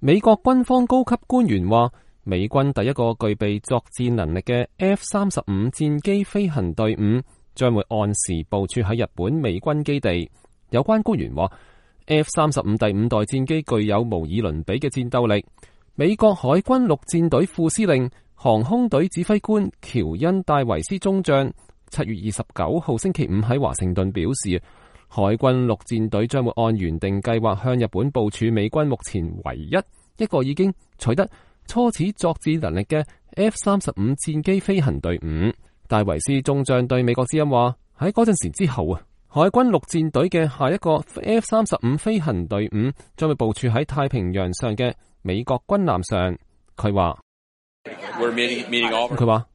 美國軍方高級官員話，美軍第一個具備作戰能力嘅 F-35戰機飛行隊伍將會按時部署喺日本美軍基地。有關官員話，F-35第5代戰機具有無以倫比嘅戰鬥力。美國海軍陸戰隊副司令、航空隊指揮官喬恩戴維斯中將7月29號星期五喺華盛頓表示，海軍陸戰隊將會按原定計劃向日本部署美軍目前唯一個已經取得初始作戰能力嘅 F-35戰機飛行隊伍。戴維斯中將對美國之音話，喺嗰陣時之後海軍陸戰隊嘅下一個 F-35 飛行隊伍將會部署喺太平洋上嘅美國軍艦上。佢話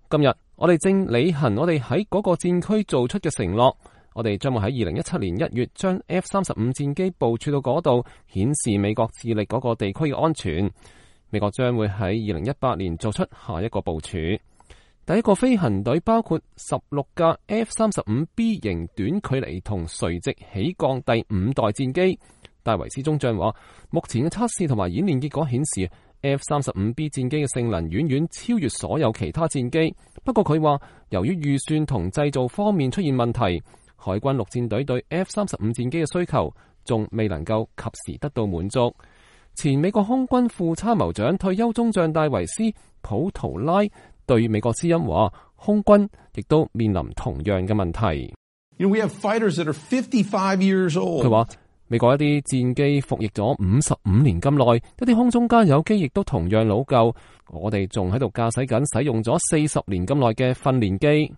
今日我哋正履行我哋喺嗰個戰區做出嘅承諾，我哋將會喺2017年1月將 F-35戰機部署到嗰度，顯示美國致力嗰個地區嘅安全。美國將會喺2018年做出下一個部署。第一個飛行隊包括16架 F-35B 型短距離同垂直起降第5代戰機。戴維斯中將話，目前嘅測試同埋演練結果顯示，F-35B 戰機嘅性能遠遠超越所有其他戰機。不過佢話，由於預算同製造方面出現問題，海軍陸戰隊對 F-35戰機嘅需求仲未能夠及時得到滿足。前美國空軍副參謀長退休中將戴維斯普圖拉對美國之音話，空軍亦都面臨同樣嘅問題。佢話，美國一啲戰機服役咗55年咁耐，一啲空中加油機亦都同樣老舊，我哋仲喺度駕駛緊使用咗40年咁耐嘅訓練機。